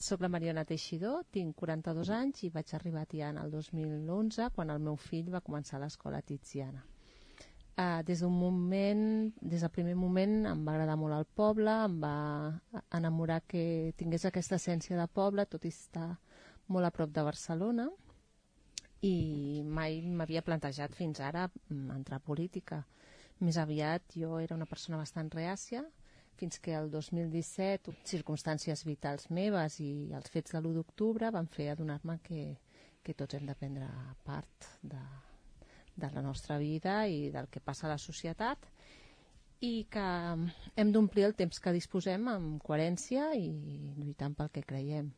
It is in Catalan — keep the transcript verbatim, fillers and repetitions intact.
soc la Mariona Teixidor, tinc quaranta-dos anys i vaig arribar a Tiana el dos mil onze, quan el meu fill va començar l'escola Tiziana. Uh, des d'un moment, des del primer moment em va agradar molt el poble, em va enamorar que tingués aquesta essència de poble, tot i estar molt a prop de Barcelona, i mai m'havia plantejat fins ara entrar a política. Més aviat jo era una persona bastant reàcia, fins que el dos mil disset circumstàncies vitals meves i els fets de l'u d'octubre van fer adonar-me que, que tots hem de prendre part de, de la nostra vida i del que passa a la societat, i que hem d'omplir el temps que disposem amb coherència i lluitant pel que creiem.